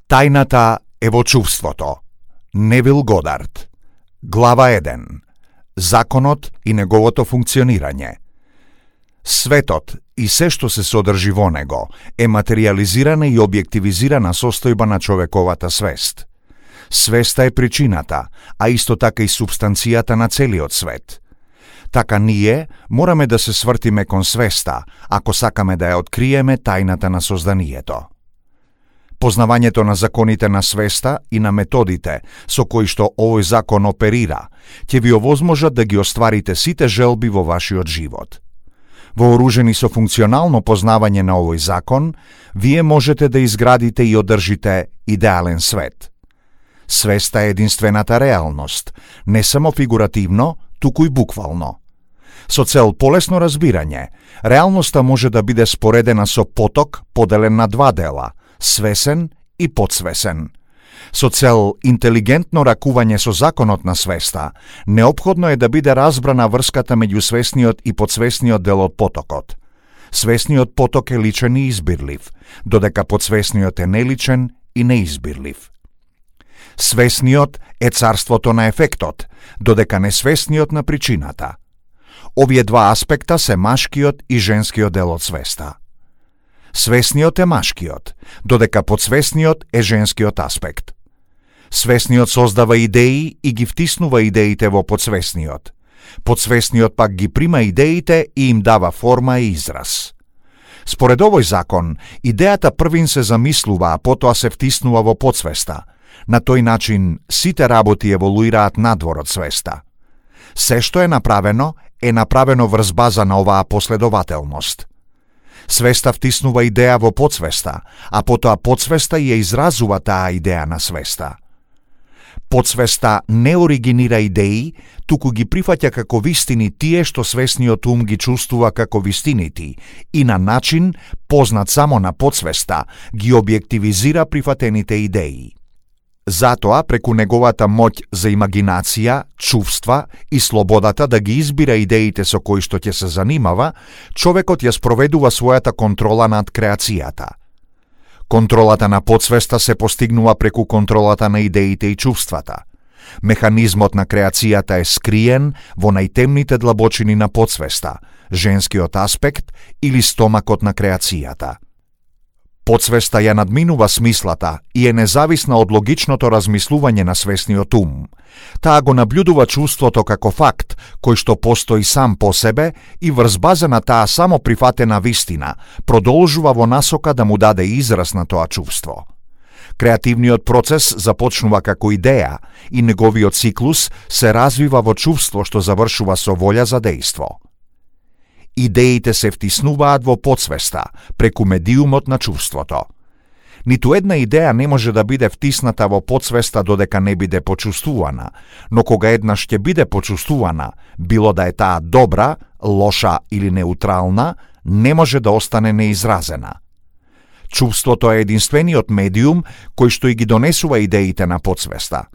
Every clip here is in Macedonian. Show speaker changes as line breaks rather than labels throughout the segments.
Тајната е во чувството. Невил Годард. Глава 1. Законот и неговото функционирање. Светот и се што се содржи во него е материјализирана и објективизирана состојба на човековата свест. Свеста е причината, а исто така и субстанцијата на целиот свет. Така ние мораме да се свртиме кон свеста, ако сакаме да ја откриеме тајната на созданието. Познавањето на законите на свеста и на методите со кои што овој закон оперира, ќе ви овозможат да ги остварите сите желби во вашиот живот. Вооружени со функционално познавање на овој закон, вие можете да изградите и одржите идеален свет. Свеста е единствената реалност, не само фигуративно, туку и буквално. Со цел полесно разбирање, реалноста може да биде споредена со поток поделен на два дела – свесен и подсвесен. Со цел интелигентно ракување со законот на свеста, неопходно е да биде разбрана врската меѓу свесниот и подсвесниот дел од потокот. Свесниот поток е личен и избирлив, додека подсвесниот е неличен и неизбирлив. Свесниот е царството на ефектот, додека несвесниот на причината. Овие два аспекта се машкиот и женскиот дел од свеста. Свесниот е машкиот, додека подсвесниот е женскиот аспект. Свесниот создава идеи и ги втиснува идеите во подсвесниот. Подсвесниот пак ги прима идеите и им дава форма и израз. Според овој закон, идејата првин се замислува, а потоа се втиснува во подсвеста. На тој начин, сите работи еволуираат надвор од свеста. Се што е направено врз база на оваа последователност. Свеста втиснува идеја во подсвеста, а потоа подсвеста ја изразува таа идеја на свеста. Подсвеста не оригинира идеи, туку ги прифаќа како вистини тие што свесниот ум ги чувствува како вистините и на начин, познат само на подсвеста, ги објективизира прифатените идеи. Затоа, преку неговата моќ за имагинација, чувства и слободата да ги избира идеите со кои што ќе се занимава, човекот ја спроведува својата контрола над креацијата. Контролата на подсвеста се постигнува преку контролата на идеите и чувствата. Механизмот на креацијата е скриен во најтемните длабочини на подсвеста, женскиот аспект или стомакот на креацијата. Подсвеста ја надминува смислата и е независна од логичното размислување на свесниот ум. Таа го наблюдува чувството како факт, кој што постои сам по себе и врз база на таа само прифатена вистина, продолжува во насока да му даде израз на тоа чувство. Креативниот процес започнува како идеја и неговиот циклус се развива во чувство што завршува со волја за дејство. Идеите се втиснуваат во подсвеста, преку медиумот на чувството. Ниту една идеја не може да биде втисната во подсвеста додека не биде почувствувана, но кога еднаш ќе биде почувствувана, било да е таа добра, лоша или неутрална, не може да остане неизразена. Чувството е единствениот медиум кој што и ги донесува идеите на подсвеста.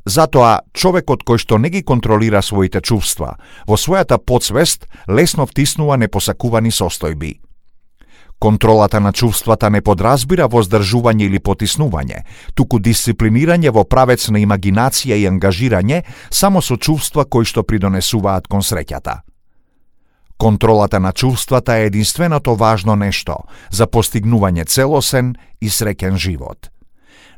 Затоа, човекот кој што не ги контролира своите чувства, во својата подсвест лесно втиснува непосакувани состојби. Контролата на чувствата не подразбира воздржување или потиснување, туку дисциплинирање во правец на имагинација и ангажирање само со чувства кои што придонесуваат кон среќата. Контролата на чувствата е единственото важно нешто за постигнување целосен и среќен живот.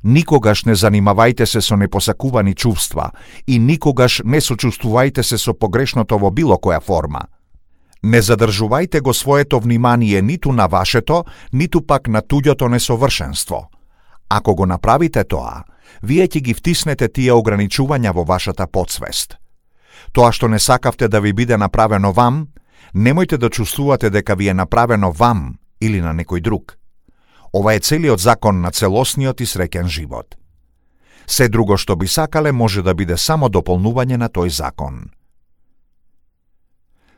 Никогаш не занимавајте се со непосакувани чувства и никогаш не сочувствувајте се со погрешното во било која форма. Не задржувајте го своето внимание ниту на вашето, ниту пак на туѓото несовршенство. Ако го направите тоа, вие ќе ги втиснете тие ограничувања во вашата подсвест. Тоа што не сакавте да ви биде направено вам, немојте да чувствувате дека ви е направено вам или на некој друг. Ова е целиот закон на целосниот и среќен живот. Се друго што би сакале може да биде само дополнување на тој закон.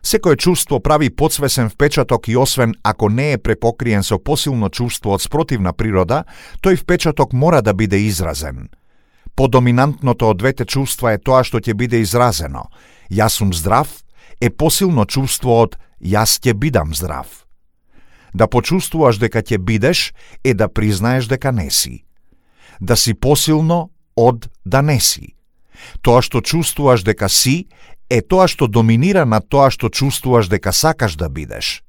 Секое чувство прави подсвесен впечаток и освен ако не е препокриен со посилно чувство од спротивна природа, тој впечаток мора да биде изразен. Подоминантното од двете чувства е тоа што ќе биде изразено. Јас сум здрав е посилно чувство од јас ќе бидам здрав. Да почувствуваш дека ќе бидеш е да признаеш дека не си. да си посилно од да не си. Тоа што чувствуваш дека си, е тоа што доминира над тоа што чувствуваш дека сакаш да бидеш.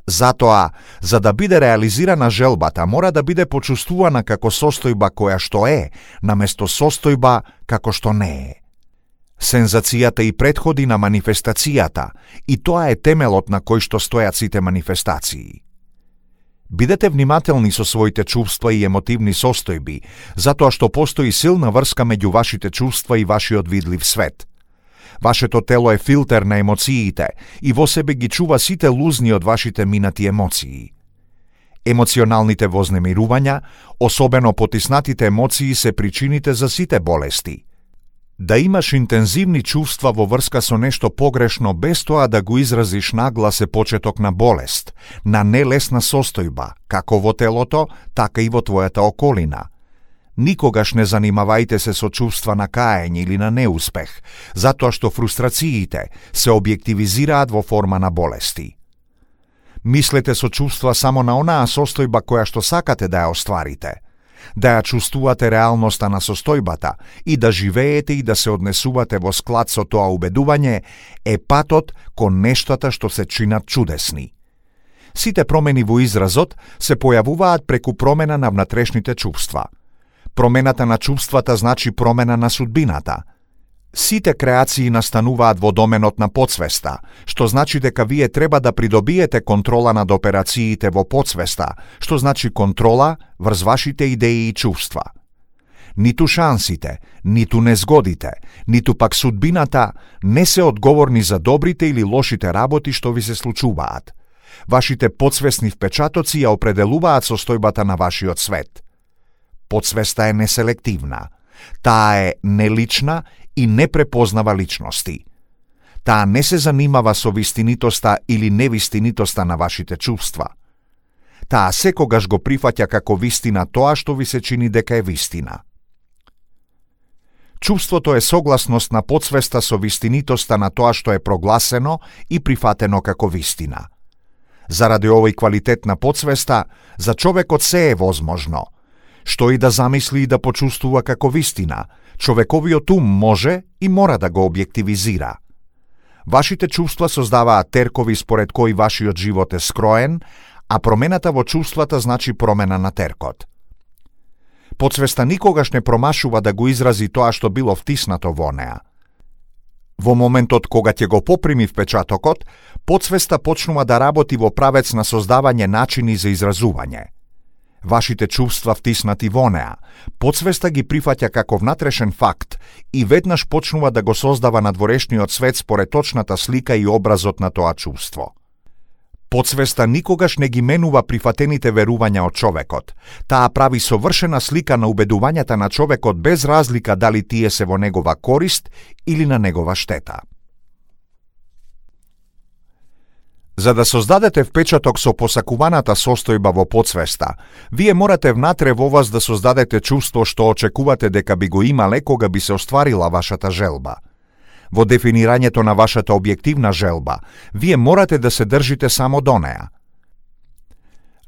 Затоа, за да биде реализирана желбата, мора да биде почувствувана како состојба која што е, наместо состојба како што не е. Сензацијата и претходи на манифестацијата, и тоа е темелот на кој што стојат сите манифестации. Бидете внимателни со своите чувства и емотивни состојби, затоа што постои силна врска меѓу вашите чувства и вашиот видлив свет. Вашето тело е филтер на емоциите и во себе ги чува сите лузни од вашите минати емоции. Емоционалните вознемирувања, особено потиснатите емоции, се причините за сите болести. Да имаш интензивни чувства во врска со нешто погрешно без тоа да го изразиш наглас е почеток на болест, на нелесна состојба, како во телото, така и во твојата околина. Никогаш не занимавајте се со чувства на каење или на неуспех, затоа што фрустрациите се објективизираат во форма на болести. Мислете со чувства само на онаа состојба која што сакате да ја остварите, да ја чувствувате реалноста на состојбата и да живеете и да се однесувате во склад со тоа убедување е патот кон нештата што се чинат чудесни. Сите промени во изразот се појавуваат преку промена на внатрешните чувства. Промената на чувствата значи промена на судбината. Сите креации настануваат во доменот на подсвеста, што значи дека вие треба да придобиете контрола над операциите во подсвеста, што значи контрола врз вашите идеи и чувства. Ниту шансите, ниту незгодите, ниту пак судбината не се одговорни за добрите или лошите работи што ви се случуваат. Вашите подсвесни впечатоци ја определуваат состојбата на вашиот свет. Подсвеста е неселективна. Таа е нелична и не препознава личности. Таа не се занимава со вистинитоста или невистинитоста на вашите чувства. Таа секогаш го прифаќа како вистина тоа што ви се чини дека е вистина. Чувството е согласност на подсвеста со вистинитоста на тоа што е прогласено и прифатено како вистина. Заради овој квалитет на подсвеста, за човекот се е возможно. Што и да замисли и да почувствува како вистина, човековиот ум може и мора да го објективизира. Вашите чувства создаваат теркови според кои вашиот живот е скроен, а промената во чувствата значи промена на теркот. Подсвеста никогаш не промашува да го изрази тоа што било втиснато во неа. Во моментот кога ќе го поприми впечатокот, подсвеста почнува да работи во правец на создавање начини за изразување. Вашите чувства втиснати во неа, подсвеста ги прифаќа како внатрешен факт и веднаш почнува да го создава надворешниот свет според точната слика и образот на тоа чувство. Подсвеста никогаш не ги менува прифатените верувања од човекот. Таа прави совршена слика на убедувањата на човекот без разлика дали тие се во негова корист или на негова штета. За да создадете впечаток со посакуваната состојба во подсвеста, вие морате внатре во вас да создадете чувство што очекувате дека би го имале кога би се остварила вашата желба. Во дефинирањето на вашата објективна желба, вие морате да се држите само до неа.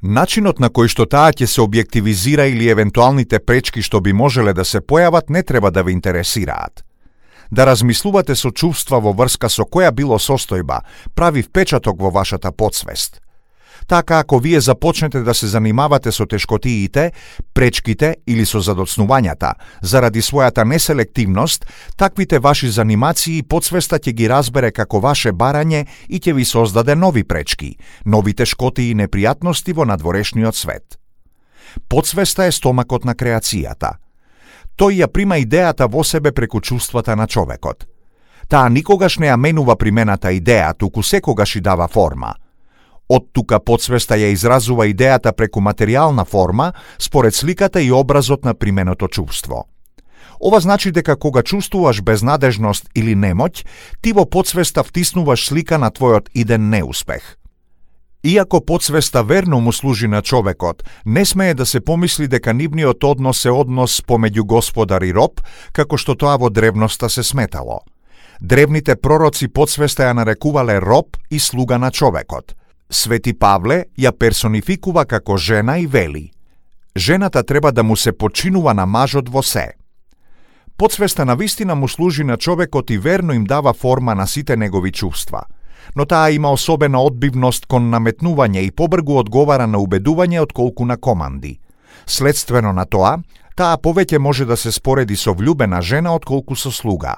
Начинот на кој што таа ќе се објективизира или евентуалните пречки што би можеле да се појават не треба да ве интересираат. Да размислувате со чувства во врска со која било состојба, прави впечаток во вашата подсвест. Така ако вие започнете да се занимавате со тешкотиите, пречките или со задоцнувањата, заради својата неселективност, таквите ваши занимации подсвеста ќе ги разбере како ваше барање и ќе ви создаде нови пречки, нови тешкоти и непријатности во надворешниот свет. Подсвеста е стомакот на креацијата. Тој ја прима идејата во себе преку чувствата на човекот. Таа никогаш не ја менува примената идеја, туку секогаш и дава форма. Од тука подсвеста ја изразува идејата преку материјална форма, според сликата и образот на применото чувство. Ова значи дека кога чувствуваш безнадежност или немоќ, ти во подсвеста втиснуваш слика на твојот иден неуспех. Иако подсвеста верно му служи на човекот, не смее да се помисли дека нивниот однос е однос помеѓу господар и роб, како што тоа во древноста се сметало. Древните пророци подсвеста ја нарекувале роб и слуга на човекот. Свети Павле ја персонификува како жена и вели: жената треба да му се починува на мажот во се. Подсвеста на вистина му служи на човекот и верно им дава форма на сите негови чувства, но таа има особена одбивност кон наметнување и побргу одговара на убедување отколку на команди. Следствено на тоа, таа повеќе може да се спореди со влюбена жена отколку со слуга.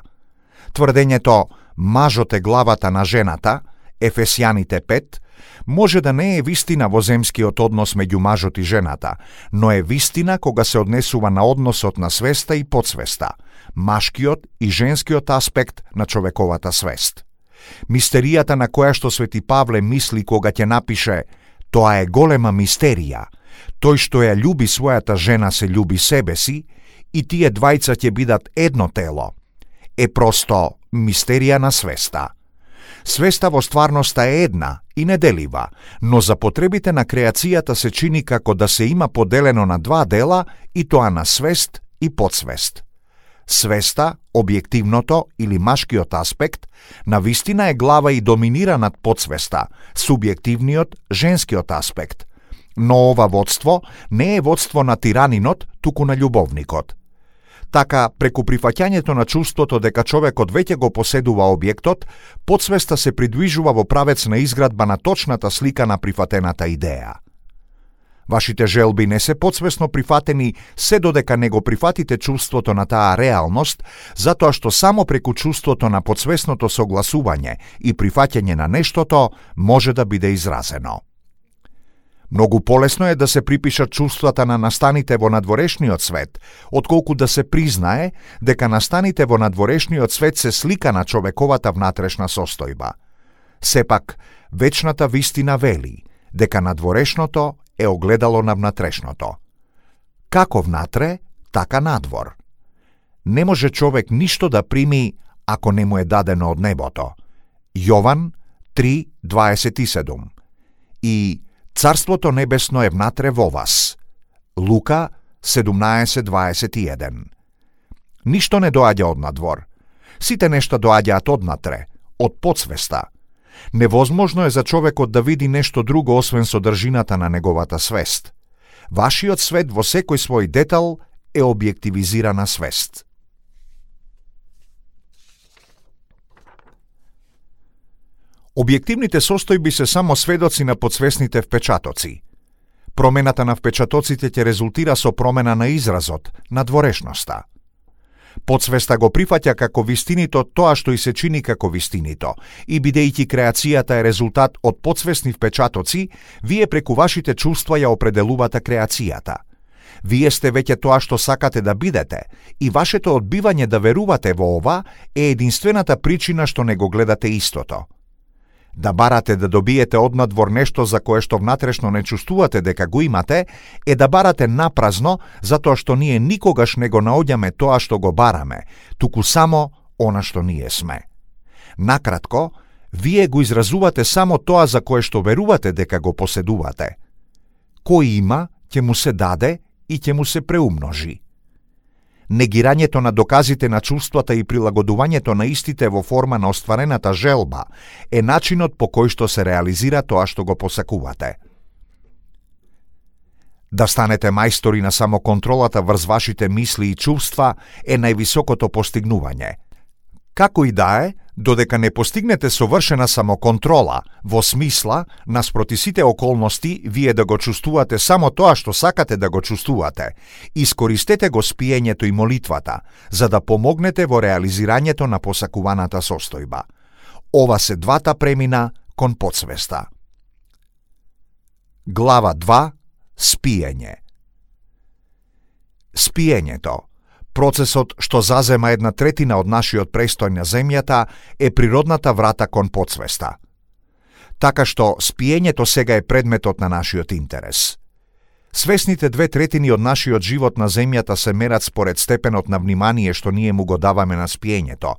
Тврдењето «мажот е главата на жената», Ефесјаните 5, може да не е вистина во земскиот однос меѓу мажот и жената, но е вистина кога се однесува на односот на свеста и подсвеста, машкиот и женскиот аспект на човековата свест. Мистеријата на која што Свети Павле мисли кога ќе напише «Тоа е голема мистерија, тој што ја љуби својата жена се љуби себе си и тие двајца ќе бидат едно тело», е просто мистерија на свеста. Свеста во стварноста е една и неделива, но за потребите на креацијата се чини како да се има поделено на два дела и тоа на свест и подсвест. Свеста, објективното или машкиот аспект, на вистина е глава и доминира над подсвеста, субјективниот, женскиот аспект. Но ова водство не е водство на тиранинот, туку на љубовникот. Така, преку прифаќањето на чувството дека човекот веќе го поседува објектот, подсвеста се придвижува во правец на изградба на точната слика на прифатената идеја. Вашите желби не се подсвесно прифатени се додека не го прифатите чувството на таа реалност, затоа што само преку чувството на подсвесното согласување и прифаќање на нештото може да биде изразено. Многу полесно е да се припишат чувствата на настаните во надворешниот свет, отколку да се признае дека настаните во надворешниот свет се слика на човековата внатрешна состојба. Сепак, вечната вистина вели дека надворешното е огледало на внатрешното. Како внатре, така надвор. Не може човек ништо да прими ако не му е дадено од небото. Јован 3:27. И Царството небесно е внатре во вас. Лука 17:21. Ништо не доаѓа од надвор. Сите нешта доаѓаат однатре, од подсвеста. Невозможно е за човекот да види нешто друго освен содржината на неговата свест. Вашиот свет во секој свој детал е објективизирана свест. Објективните состојби се само сведоци на подсвесните впечатоци. Промената на впечатоците ќе резултира со промена на изразот, на дворешноста. Подсвеста го прифаќа како вистинито тоа што и се чини како вистинито, и бидејќи креацијата е резултат од подсвесни впечатоци, вие преку вашите чувства ја определувате креацијата. Вие сте веќе тоа што сакате да бидете, и вашето одбивање да верувате во ова е единствената причина што не го гледате истото. Да барате да добиете однадвор нешто за кое што внатрешно не чувствувате дека го имате, е да барате напразно, затоа што ние никогаш не го наоѓаме тоа што го бараме, туку само она што ние сме. Накратко, вие го изразувате само тоа за кое што верувате дека го поседувате. Кој има, ќе му се даде и ќе му се преумножи. Негирањето на доказите на чувствата и прилагодувањето на истите во форма на остварената желба е начинот по кој што се реализира тоа што го посакувате. Да станете мајстори на самоконтролата врз вашите мисли и чувства е највисокото постигнување. Како и да е, додека не постигнете совршена самоконтрола, во смисла, наспроти сите околности, вие да го чувствувате само тоа што сакате да го чувствувате, искористете го спиењето и молитвата, за да помогнете во реализирањето на посакуваната состојба. Ова се двата премина кон подсвеста. Глава 2. Спиење. Спиењето, процесот што зазема 1/3 од нашиот престој на земјата, е природната врата кон подсвеста. Така што спиењето сега е предметот на нашиот интерес. Свесните 2/3 од нашиот живот на земјата се мерат според степенот на внимание што ние му го даваме на спиењето.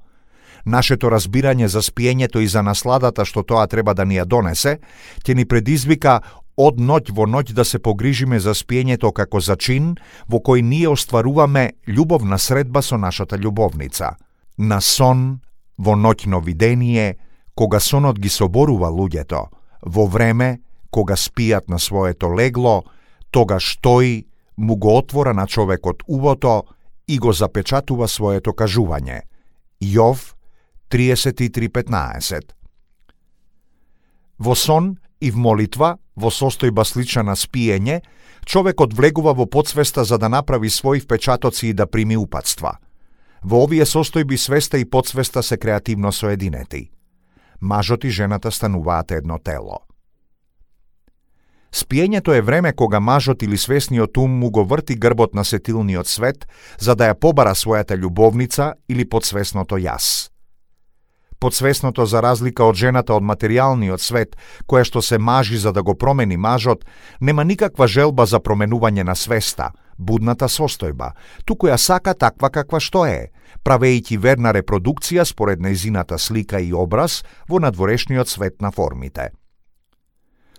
Нашето разбирање за спиењето и за насладата што тоа треба да ни ја донесе, ќе ни предизвика од ноќ во ноќ да се погрижиме за спиењето како за чин во кој ние остваруваме љубовна средба со нашата љубовница. На сон, во ноќно видение, кога сонот ги соборува луѓето, во време, кога спијат на своето легло, тогаш тој, му го отвора на човекот убото и го запечатува своето кажување. Јов 33:15. Во сон и в молитва, во состојба слична на спиење, човекот влегува во подсвеста за да направи своји впечатоци и да прими упатства. Во овие состојби свеста и подсвеста се креативно соединети. Мажот и жената стануваат едно тело. Спиењето е време кога мажот или свесниот ум му го врти грбот на сетилниот свет за да ја побара својата љубовница или подсвесното јас. Подсвесното, за разлика од жената од материјалниот свет, која што се мажи за да го промени мажот, нема никаква желба за променување на свеста, будната состојба, туку ја сака таква каква што е, правејќи верна репродукција според нејзината слика и образ во надворешниот свет на формите.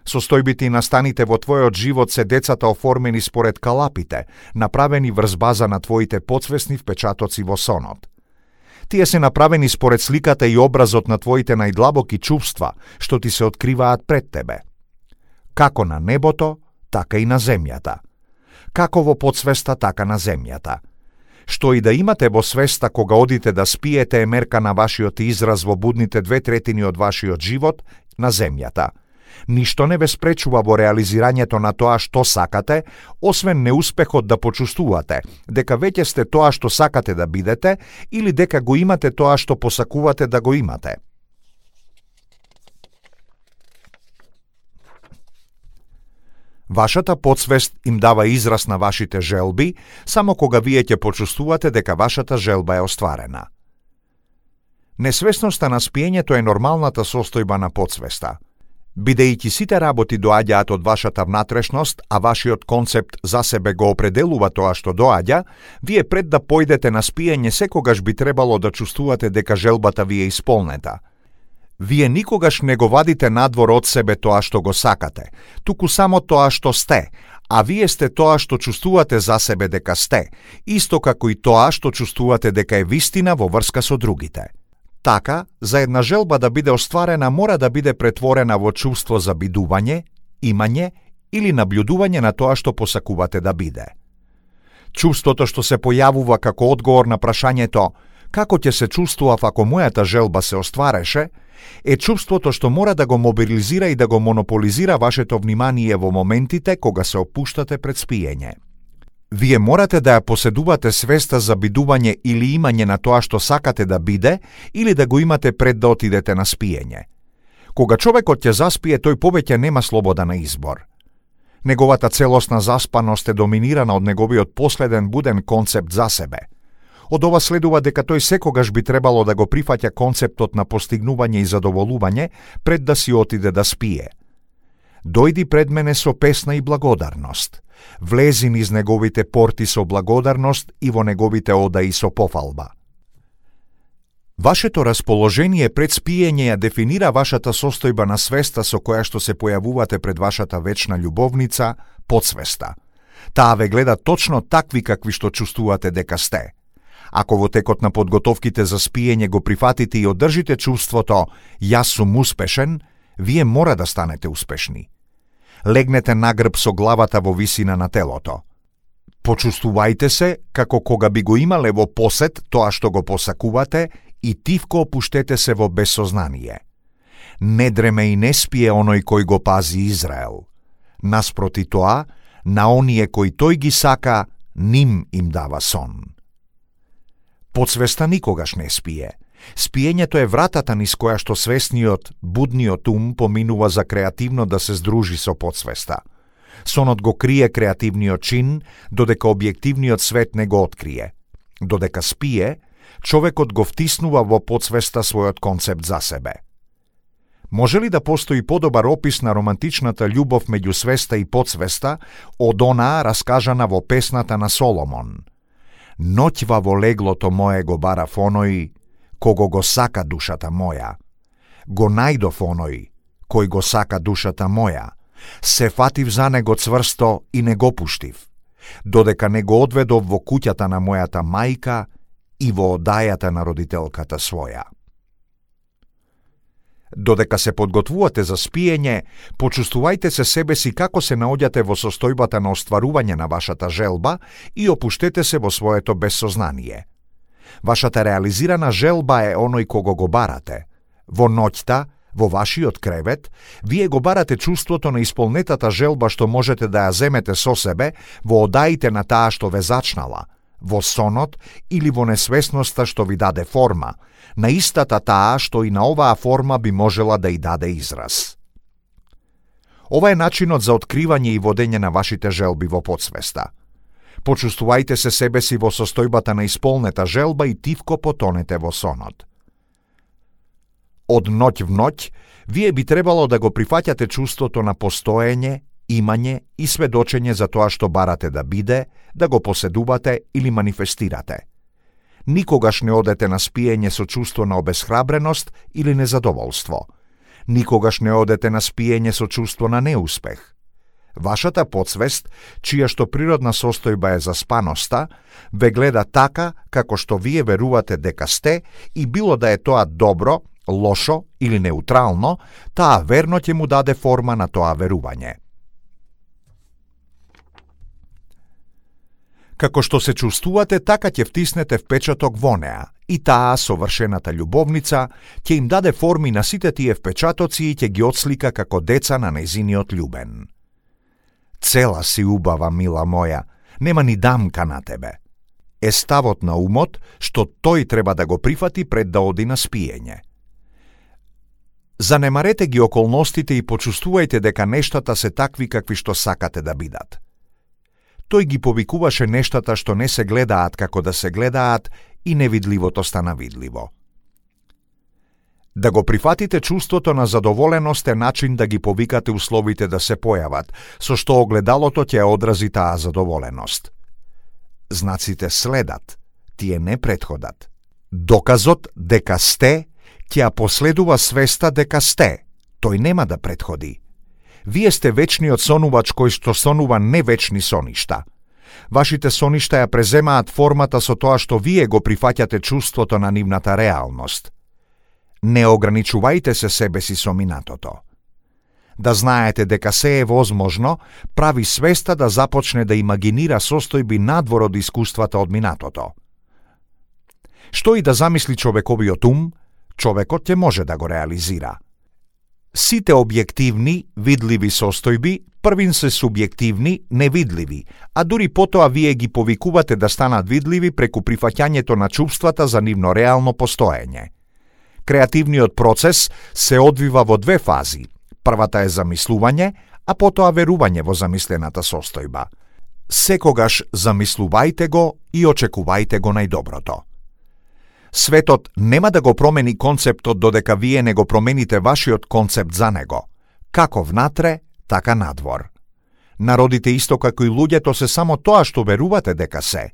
Состојбите и настаните во твојот живот се децата оформени според калапите, направени врз база на твоите подсвесни впечатоци во сонот. Тие се направени според сликата и образот на твоите најдлабоки чувства, што ти се откриваат пред тебе. Како на небото, така и на земјата. Како во подсвеста, така на земјата. Што и да имате во свеста кога одите да спиете е мерка на вашиот израз во будните 2/3 од вашиот живот на земјата. Ништо не ве спречува во реализирањето на тоа што сакате, освен неуспехот да почувствувате дека веќе сте тоа што сакате да бидете или дека го имате тоа што посакувате да го имате. Вашата подсвест им дава израз на вашите желби само кога вие ќе почувствувате дека вашата желба е остварена. Несвесноста на спиењето е нормалната состојба на подсвеста. Бидејќи сите работи доаѓаат од вашата внатрешност, а вашиот концепт за себе го определува тоа што доаѓа, вие пред да појдете на спиење секогаш би требало да чувствувате дека желбата ви е исполнета. Вие никогаш не го вадите надвор од себе тоа што го сакате, туку само тоа што сте, а вие сте тоа што чувствувате за себе дека сте, исто како и тоа што чувствувате дека е вистина во врска со другите. Така, за една желба да биде остварена мора да биде претворена во чувство за бидување, имање или наблюдување на тоа што посакувате да биде. Чувството што се појавува како одговор на прашањето како ќе се чувствував ако мојата желба се оствареше, е чувството што мора да го мобилизира и да го монополизира вашето внимание во моментите кога се опуштате пред спиење. Вие морате да ја поседувате свеста за бидување или имање на тоа што сакате да биде или да го имате пред да отидете на спиење. Кога човекот ќе заспие, тој повеќе нема слобода на избор. Неговата целосна заспаност е доминирана од неговиот последен буден концепт за себе. Од ова следува дека тој секогаш би требало да го прифаќа концептот на постигнување и задоволување пред да си отиде да спие. Дојди пред мене со песна и благодарност. Влези низ неговите порти со благодарност и во неговите одаи со пофалба. Вашето расположение пред спиење ја дефинира вашата состојба на свеста со која што се појавувате пред вашата вечна љубовница, подсвеста. Таа ве гледа точно такви какви што чувствувате дека сте. Ако во текот на подготовките за спиење го прифатите и одржите чувството «Јас сум успешен», вие мора да станете успешни. Легнете на грб со главата во висина на телото. Почувствувајте се како кога би го имале во посет тоа што го посакувате и тивко опуштете се во безсознание. Не дреме и не спие оној кој го пази Израел. Наспроти тоа, на оние кои тој ги сака, ним им дава сон. Подсвеста никогаш не спие. Спиењето е вратата низ која што свесниот, будниот ум поминува за креативно да се здружи со подсвеста. Сонот го крие креативниот чин, додека објективниот свет не го открие. Додека спие, човекот го втиснува во подсвеста својот концепт за себе. Може ли да постои подобар опис на романтичната љубов меѓу свеста и подсвеста од онаа раскажана во песната на Соломон? Ноќва во леглото мое го барав оној, кого го сака душата моја. Го најдов оној, кој го сака душата моја. Се фатив за него цврсто и не го пуштив, додека не го одведов во куќата на мојата мајка и во одајата на родителката своја. Додека се подготвувате за спиење, почувствувајте се себе си како се наоѓате во состојбата на остварување на вашата желба и опуштете се во своето бессознание. Вашата реализирана желба е оној кого го барате. Во ноќта, во вашиот кревет, вие го барате чувството на исполнетата желба што можете да ја земете со себе во одаите на таа што ве зачнала, во сонот или во несвесноста што ви даде форма, на истата таа што и на оваа форма би можела да и даде израз. Ова е начинот за откривање и водење на вашите желби во подсвеста. Почувствувајте се себе си во состојбата на исполнета желба и тивко потонете во сонот. Од ноќ в ноќ, вие би требало да го прифаќате чувството на постоење, имање и сведочење за тоа што барате да биде, да го поседувате или манифестирате. Никогаш не одете на спиење со чувство на обесхрабреност или незадоволство. Никогаш не одете на спиење со чувство на неуспех. Вашата подсвест, чија што природна состојба е заспаноста, ве гледа така како што вие верувате дека сте и било да е тоа добро, лошо или неутрално, таа верно ќе му даде форма на тоа верување. Како што се чувствувате, така ќе втиснете впечаток во неа, и таа совршената љубовница ќе им даде форми на сите тие впечатоци и ќе ги отслика како деца на нејзиниот љубен. Цела си убава, мила моја, нема ни дамка на тебе. Е ставот на умот што тој треба да го прифати пред да оди на спиење. Занемарете ги околностите и почувствувајте дека нештата се такви какви што сакате да бидат. Тој ги повикуваше нештата што не се гледаат како да се гледаат и невидливото стана видливо. Да го прифатите чувството на задоволеност е начин да ги повикате условите да се појават, со што огледалото ќе одрази таа задоволеност. Знаците следат, тие не претходат. Доказот дека сте ќе ја последува свеста дека сте, тој нема да претходи. Вие сте вечниот сонувач кој што сонува невечни соништа. Вашите соништа ја преземаат формата со тоа што вие го прифаќате чувството на нивната реалност. Не ограничувајте се себе си со минатото. Да знаете дека се е возможно, прави свеста да започне да имагинира состојби надвор од искуствата од минатото. Што и да замисли човековиот ум, човекот ќе може да го реализира. Сите објективни, видливи состојби, првин се субјективни, невидливи, а дури потоа вие ги повикувате да станат видливи преку прифаќањето на чувствата за нивно реално постоење. Креативниот процес се одвива во две фази. Првата е замислување, а потоа верување во замислената состојба. Секогаш замислувајте го и очекувајте го најдоброто. Светот нема да го промени концептот додека вие не го промените вашиот концепт за него, како внатре, така надвор. Народите исто како и луѓето се само тоа што верувате дека се.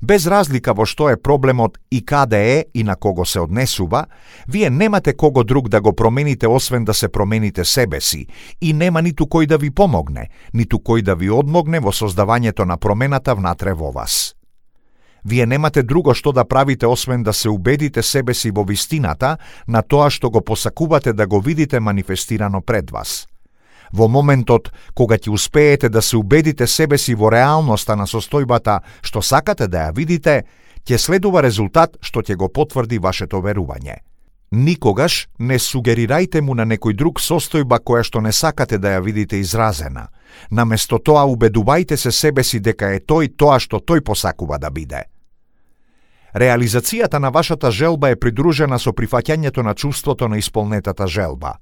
Без разлика во што е проблемот и каде е и на кого се однесува, вие немате кого друг да го промените освен да се промените себе си и нема ниту кој да ви помогне, ниту кој да ви одмогне во создавањето на промената внатре во вас. Вие немате друго што да правите освен да се убедите себе си во вистината на тоа што го посакувате да го видите манифестирано пред вас. Во моментот кога ќе успеете да се убедите себе си во реалноста на состојбата што сакате да ја видите, ќе следува резултат што ќе го потврди вашето верување. Никогаш не сугерирајте му на некој друг состојба која што не сакате да ја видите изразена. Наместо тоа убедувајте се себе си дека е тој тоа што тој посакува да биде. Реализацијата на вашата желба е придружена со прифаќањето на чувството на исполнетата желба.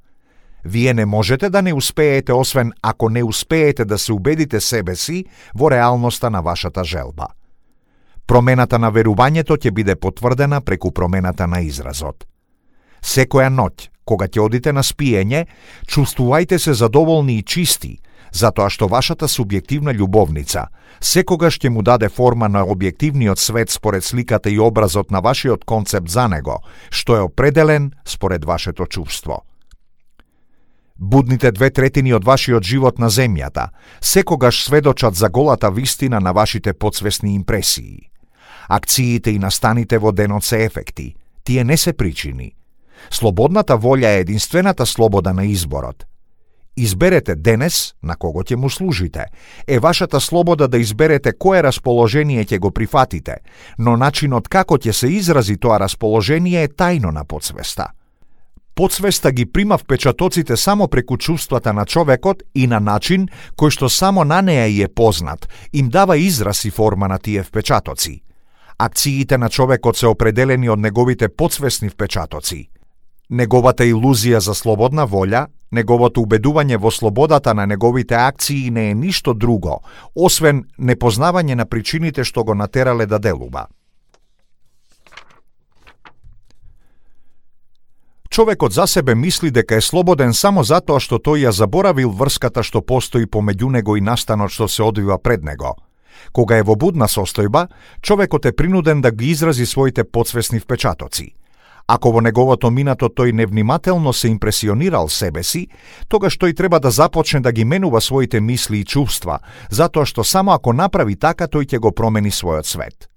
Вие не можете да не успеете освен ако не успеете да се убедите себе си во реалноста на вашата желба. Промената на верувањето ќе биде потврдена преку промената на изразот. Секоја ноќ, кога ќе одите на спиење, чувствувајте се задоволни и чисти, затоа што вашата субјективна љубовница секогаш ќе му даде форма на објективниот свет според сликата и образот на вашиот концепт за него, што е определен според вашето чувство. Будните 2/3 од вашиот живот на земјата секогаш сведочат за голата вистина на вашите подсвесни импресии. Акциите и настаните во денот се ефекти, тие не се причини. Слободната волја е единствената слобода на изборот. Изберете денес на кого ќе му служите. Е вашата слобода да изберете кое расположение ќе го прифатите, но начинот како ќе се изрази тоа расположение е тајно на подсвеста. Подсвеста ги прима впечатоците само преку чувствата на човекот и на начин кој што само на неа е познат, им дава израз и форма на тие впечатоци. Акциите на човекот се определени од неговите подсвесни впечатоци. Неговата илузија за слободна волја, неговото убедување во слободата на неговите акции не е ништо друго, освен непознавање на причините што го натерале да делува. Човекот за себе мисли дека е слободен само затоа што тој ја заборавил врската што постои помеѓу него и настанот што се одвива пред него. Кога е во будна состојба, човекот е принуден да ги изрази своите подсвесни впечатоци. Ако во неговото минато тој невнимателно се импресионирал себе си, тогаш тој треба да започне да ги менува своите мисли и чувства, затоа што само ако направи така тој ќе го промени својот свет.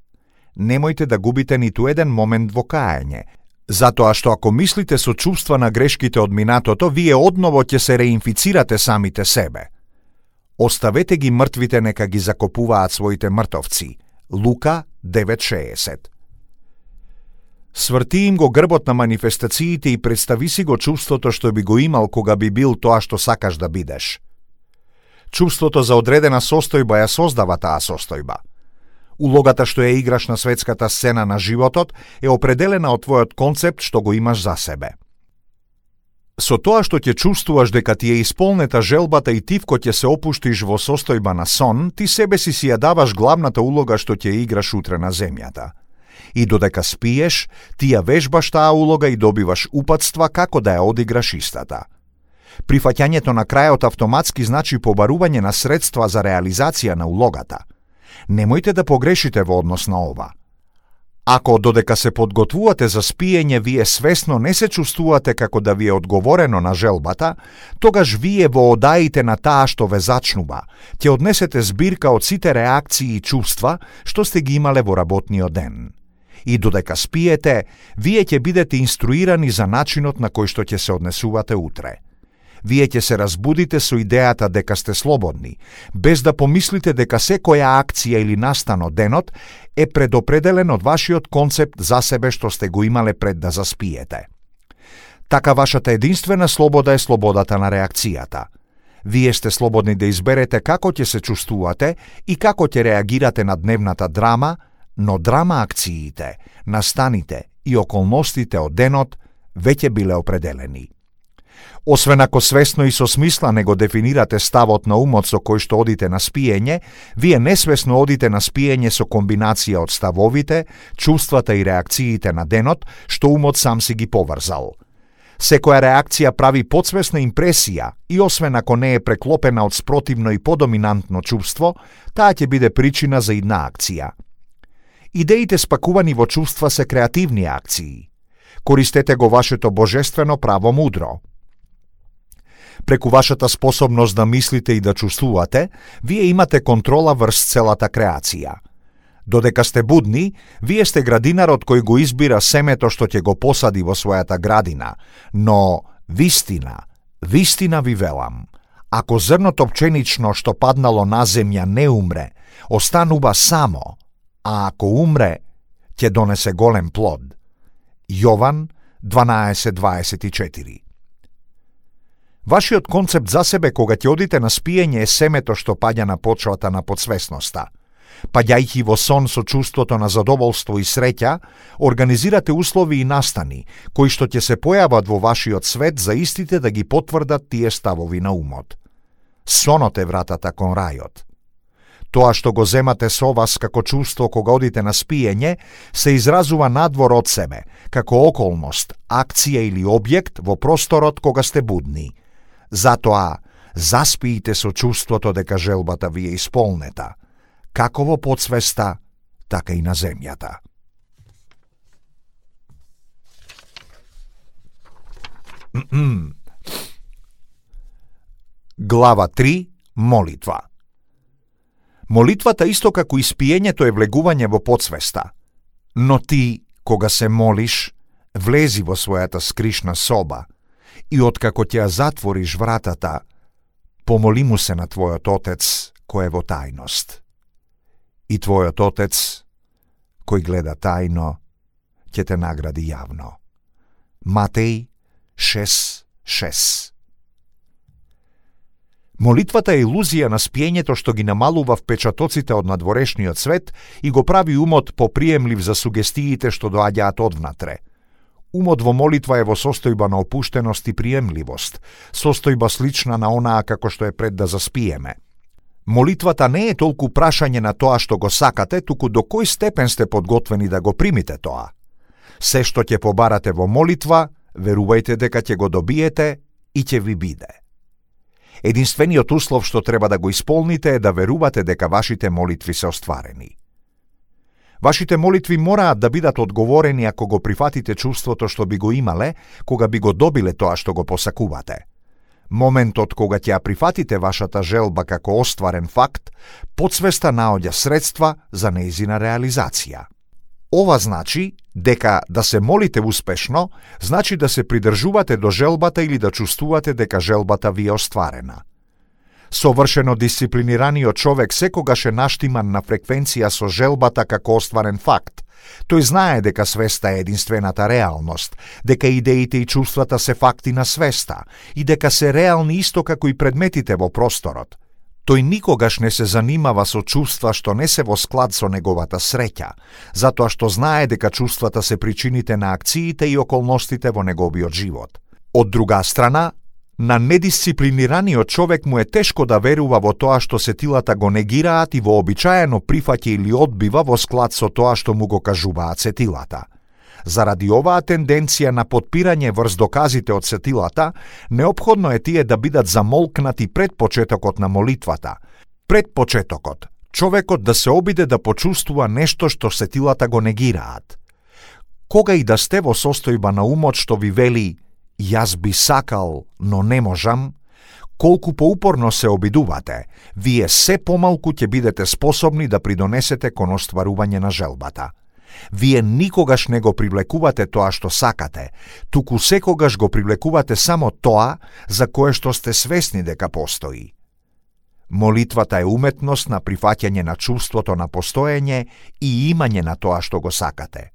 Немојте да губите ниту еден момент во каење, затоа што ако мислите со чувства на грешките од минатото, вие одново ќе се реинфицирате самите себе. Оставете ги мртвите нека ги закопуваат своите мртовци. Лука 9:60. Сврти им го грбот на манифестациите и представи си го чувството што би го имал кога би бил тоа што сакаш да бидеш. Чувството за одредена состојба ја создава таа состојба. Улогата што ја играш на светската сцена на животот е определена од твојот концепт што го имаш за себе. Со тоа што ќе чувствуваш дека ти е исполнета желбата и тивко ќе се опуштиш во состојба на сон, ти себе си ја даваш главната улога што ќе играш утре на земјата. И додека спиеш, ти ја вежбаш таа улога и добиваш упатства како да ја одиграш истата. Прифаќањето на крајот автоматски значи побарување на средства за реализација на улогата. Немојте да погрешите во однос на ова. Ако додека се подготвувате за спиење, вие свесно не се чувствувате како да ви е одговорено на желбата, тогаш вие во одаите на таа што ве зачнува, ќе однесете збирка од сите реакции и чувства што сте ги имале во работниот ден. И додека спиете, вие ќе бидете инструирани за начинот на кој што ќе се однесувате утре. Вие ќе се разбудите со идејата дека сте слободни, без да помислите дека секоја акција или настан од денот е предопределен од вашиот концепт за себе што сте го имале пред да заспиете. Така вашата единствена слобода е слободата на реакцијата. Вие сте слободни да изберете како ќе се чувствувате и како ќе реагирате на дневната драма, но драма акциите, настаните и околностите од денот веќе биле определени. Освен ако свесно и со смисла не го дефинирате ставот на умот со кој што одите на спиење, вие несвесно одите на спиење со комбинација од ставовите, чувствата и реакциите на денот, што умот сам си ги поврзал. Секоја реакција прави подсвесна импресија и освен ако не е преклопена од спротивно и подоминантно чувство, таа ќе биде причина за идна акција. Идеите спакувани во чувства се креативни акции. Користете го вашето божествено право мудро. Преку вашата способност да мислите и да чувствувате, вие имате контрола врз целата креација. Додека сте будни, вие сте градинарот кој го избира семето што ќе го посади во својата градина, но вистина ви велам, ако зрното пченично што паднало на земја не умре, останува само, а ако умре, ќе донесе голем плод. Јован 12:24. Вашиот концепт за себе кога ќе одите на спиење е семето што паѓа на почвата на подсвесноста. Паѓајќи во сон со чувството на задоволство и среќа, организирате услови и настани, кои што ќе се појават во вашиот свет за истите да ги потврдат тие ставови на умот. Сонот е вратата кон рајот. Тоа што го земате со вас како чувство кога одите на спиење, се изразува надвор од себе, како околност, акција или објект во просторот кога сте будни. Затоа, заспиите со чувството дека желбата ви е исполнета, како во подсвеста, така и на земјата. Глава 3. Молитва. Молитвата исто како и спиењето е влегување во подсвеста. Но ти, кога се молиш, Влези во својата скришна соба и откако ќе ја затвориш вратата, помоли му се на твојот Отец кој е во тајност. И твојот Отец, кој гледа тајно, ќе те награди јавно. Матеј 6:6. Молитвата е илузија на спиењето што ги намалува впечатоците од надворешниот свет и го прави умот поприемлив за сугестиите што доаѓаат одвнатре. Умот во молитва е во состојба на опуштеност и приемливост, состојба слична на онаа како што е пред да заспиеме. Молитвата не е толку прашање на тоа што го сакате, туку до кој степен сте подготвени да го примите тоа. Се што ќе побарате во молитва, верувајте дека ќе го добиете и ќе ви биде. Единствениот услов што треба да го исполните е да верувате дека вашите молитви се остварени. Вашите молитви мораат да бидат одговорени ако го прифатите чувството што би го имале, кога би го добиле тоа што го посакувате. Моментот кога ќе ја прифатите вашата желба како остварен факт, подсвеста наоѓа средства за нејзина реализација. Ова значи дека да се молите успешно, значи да се придржувате до желбата или да чувствувате дека желбата ви е остварена. Совршено дисциплинираниот човек секогаш е наштиман на фреквенција со желбата како остварен факт. Тој знае дека свеста е единствената реалност, дека идеите и чувствата се факти на свеста и дека се реални исто како и предметите во просторот. Тој никогаш не се занимава со чувства што не се во склад со неговата среќа, затоа што знае дека чувствата се причините на акциите и околностите во неговиот живот. Од друга страна, на недисциплинираниот човек му е тешко да верува во тоа што сетилата го негираат и вообичаено прифаќа или одбива во склад со тоа што му го кажуваат сетилата. Заради оваа тенденција на подпирање врз доказите од сетилата, неопходно е тие да бидат замолкнати пред почетокот на молитвата. Пред почетокот, човекот да се обиде да почувствува нешто што сетилата го негираат. Кога и да сте во состојба на умот што ви вели «Јас би сакал, но не можам», колку поупорно се обидувате, вие се помалку ќе бидете способни да придонесете кон остварување на желбата. Вие никогаш не го привлекувате тоа што сакате, туку секогаш го привлекувате само тоа за кое што сте свесни дека постои. Молитвата е уметност на прифаќање на чувството на постоење и имање на тоа што го сакате.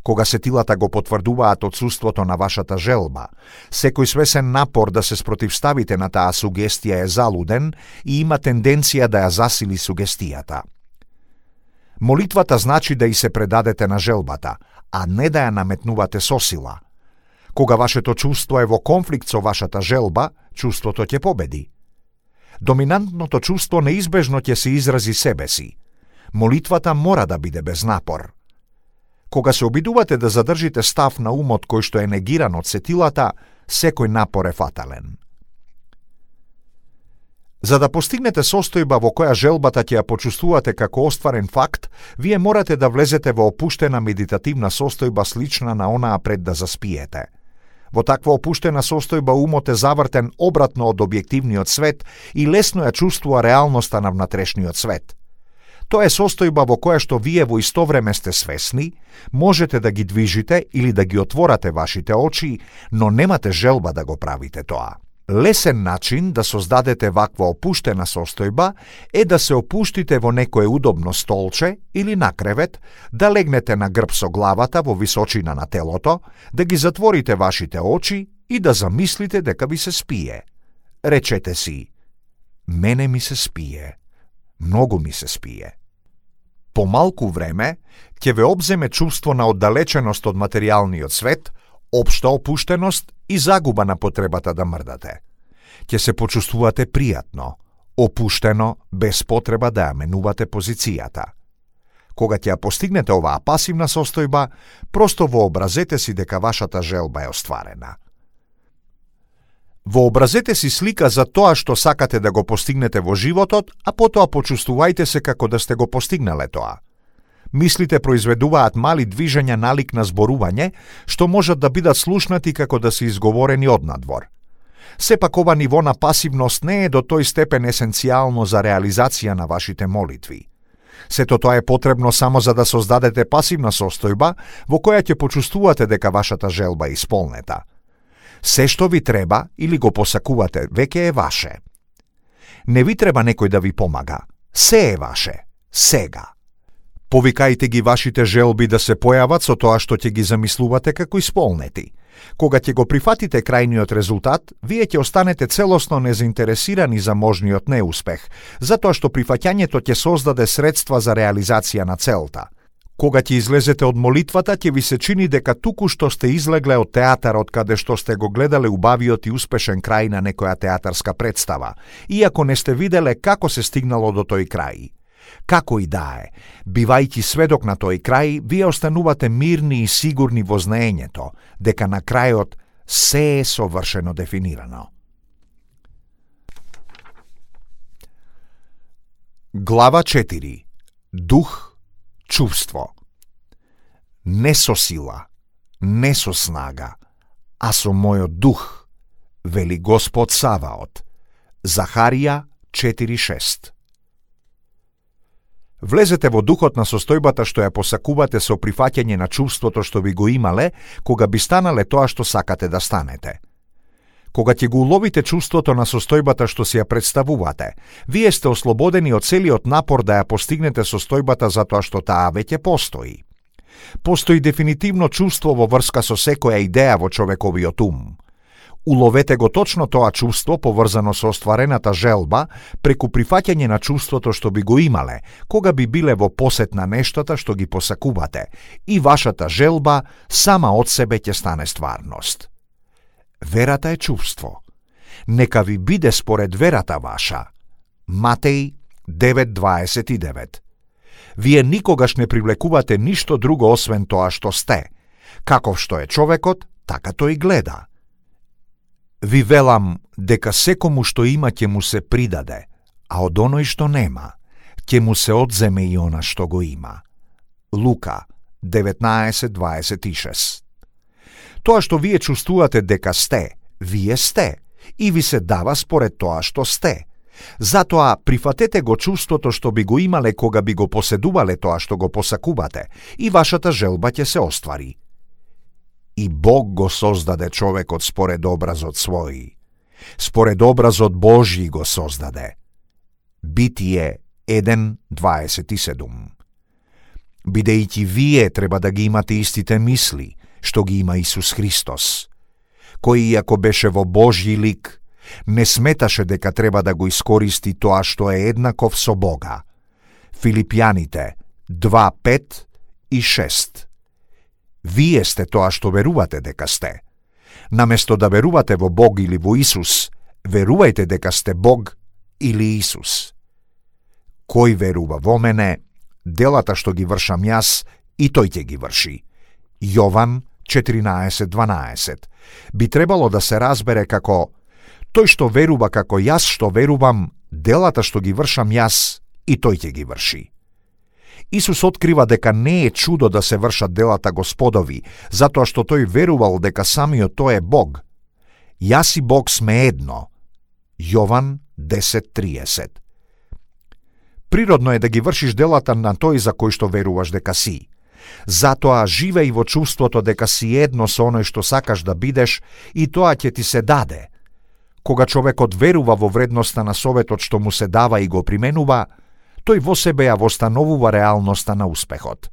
Кога сетилата го потврдуваат отсуството на вашата желба, секој свесен напор да се спротивставите на таа сугестија е залуден и има тенденција да ја засили сугестијата. Молитвата значи да и се предадете на желбата, а не да ја наметнувате со сила. Кога вашето чувство е во конфликт со вашата желба, чувството ќе победи. Доминантното чувство неизбежно ќе се изрази себе си. Молитвата мора да биде без напор. Кога се обидувате да задржите став на умот кој што е негиран од сетилата, секој напор е фатален. За да постигнете состојба во која желбата ќе ја почувствувате како остварен факт, вие морате да влезете во опуштена медитативна состојба слична на онаа пред да заспиете. Во таква опуштена состојба умот е завртен обратно од објективниот свет и лесно ја чувствува реалноста на внатрешниот свет. Тоа е состојба во која што вие во исто време сте свесни, можете да ги движите или да ги отворате вашите очи, но немате желба да го правите тоа. Лесен начин да создадете ваква опуштена состојба е да се опуштите во некое удобно столче или на кревет, да легнете на грб со главата во височина на телото, да ги затворите вашите очи и да замислите дека ви се спие. Речете си: мене ми се спие. Многу ми се спие. По малку време ќе ве обземе чувство на оддалеченост од материјалниот свет, општа опуштеност и загуба на потребата да мрдате. Ќе се почувствувате пријатно, опуштено, без потреба да ја менувате позицијата. Кога ќе ја постигнете оваа пасивна состојба, просто вообразете си дека вашата желба е остварена. Вообразете си слика за тоа што сакате да го постигнете во животот, а потоа почувствувајте се како да сте го постигнале тоа. Мислите произведуваат мали движења налик на зборување, што можат да бидат слушнати како да се изговорени однадвор. Сепак ова ниво на пасивност не е до тој степен есенцијално за реализација на вашите молитви. Сето тоа е потребно само за да создадете пасивна состојба во која ќе почувствувате дека вашата желба е исполнета. Се што ви треба или го посакувате веќе е ваше. Не ви треба некој да ви помага. Се е ваше. Сега. Повикајте ги вашите желби да се појават со тоа што ќе ги замислувате како исполнети. Кога ќе го прифатите крајниот резултат, вие ќе останете целосно незаинтересирани за можниот неуспех, затоа што прифаќањето ќе создаде средства за реализација на целта. Кога ќе излезете од молитвата, ќе ви се чини дека туку што сте излегле од театарот каде што сте го гледале убавиот и успешен крај на некоја театарска представа, иако не сте виделе како се стигнало до тој крај. Како и да е, бивајќи сведок на тој крај, вие останувате мирни и сигурни во знаењето, дека на крајот се е совршено дефинирано. Глава 4. Дух, чувство. Не со сила, не со снага, а со мојот дух, вели Господ Саваот. Захарија 4:6. Влезете во духот на состојбата што ја посакувате со прифаќање на чувството што ви го имале, кога би станале тоа што сакате да станете. Кога ќе го уловите чувството на состојбата што си ја представувате, вие сте ослободени од целиот напор да ја постигнете состојбата затоа што таа веќе постои. Постои дефинитивно чувство во врска со секоја идеја во човековиот ум. Уловете го точно тоа чувство поврзано со остварената желба преку прифаќање на чувството што би го имале, кога би биле во посет на нештата што ги посакувате, и вашата желба сама од себе ќе стане стварност. Верата е чувство. Нека ви биде според верата ваша. Матеј 9:29. Вие никогаш не привлекувате ништо друго освен тоа што сте. Каков што е човекот, така тој гледа. Ви велам дека секому што има ќе му се придаде, а од оној што нема, ќе му се одземе и она што го има. Лука 19:26. Тоа што вие чувствувате дека сте, вие сте, и ви се дава според тоа што сте. Затоа прифатете го чувството што би го имале кога би го поседувале тоа што го посакувате, и вашата желба ќе се оствари. И Бог го создаде човекот според образот свој. Според образот Божји го создаде. Битие 1:27. Бидејќи вие треба да ги имате истите мисли, што ги има Исус Христос, кој иако беше во Божји лик, не сметаше дека треба да го искористи тоа што е еднаков со Бога. Филипјаните 2:5 и 6. Вие сте тоа што верувате дека сте. Наместо да верувате во Бог или во Исус, верувајте дека сте Бог или Исус. Кој верува во мене, делата што ги вршам јас, и тој ќе ги врши. Јован 14:12. Би требало да се разбере како тој што верува како јас што верувам, делата што ги вршам јас, и тој ќе ги врши. Исус открива дека не е чудо да се вршат делата Господови, затоа што тој верувал дека самиот тој е Бог. Јас и Бог сме едно. Јован 10:30. Природно е да ги вршиш делата на тој за кој што веруваш дека си. Затоа живеј во чувството дека си едно со оној што сакаш да бидеш, и тоа ќе ти се даде. Кога човекот верува во вредноста на советот што му се дава и го применува, тој во себе ја востановува реалноста на успехот.